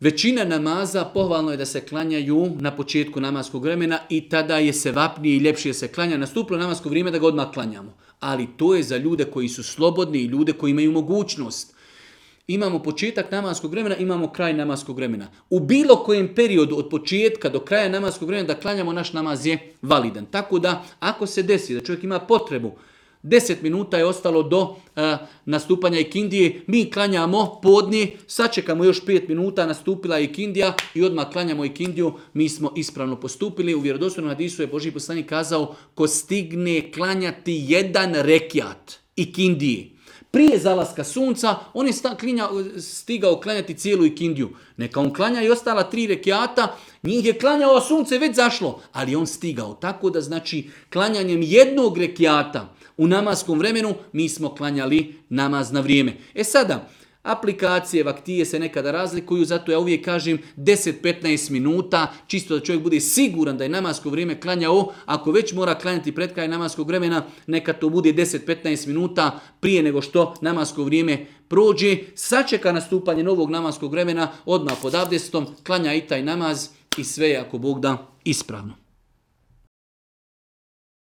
Većina namaza pohvalno je da se klanjaju na početku namaskog vremena i tada je se vapnije i ljepše se klanja. Nastupilo namasko vrijeme da ga odmah klanjamo. Ali to je za ljude koji su slobodni i ljude koji imaju mogućnost. Imamo početak namaskog vremena, imamo kraj namaskog vremena. U bilo kojem periodu od početka do kraja namaskog vremena da klanjamo naš namaz je validan. Tako da ako se desi da čovjek ima potrebu 10 minuta je ostalo do nastupanja ikindije, mi klanjamo podne, sačekamo još 5 minuta, nastupila je ikindija i odmah klanjamo ikindiju, mi smo ispravno postupili. U vjerodostojnom hadisu je Božji poslanik kazao, ko stigne klanjati jedan rekiat ikindije prije zalaska sunca, on je stigao klanjati cijelu ikindiju. Neka on klanja i ostala 3 rekiata, njih je klanjao, a sunce već zašlo, ali on stigao. Tako da znači klanjanjem jednog rekiata u namaskom vremenu mi smo klanjali namaz na vrijeme. Sada, aplikacije, vaktije se nekada razlikuju, zato ja uvijek kažem 10-15 minuta, čisto da čovjek bude siguran da je namasko vrijeme klanjao. Ako već mora klanjati pred kraj namaskog vremena, neka to bude 10-15 minuta prije nego što namasko vrijeme prođe. Sačeka nastupanje novog namaskog vremena, odmah pod abdestom, klanja i taj namaz i sve je ako Bog da ispravno.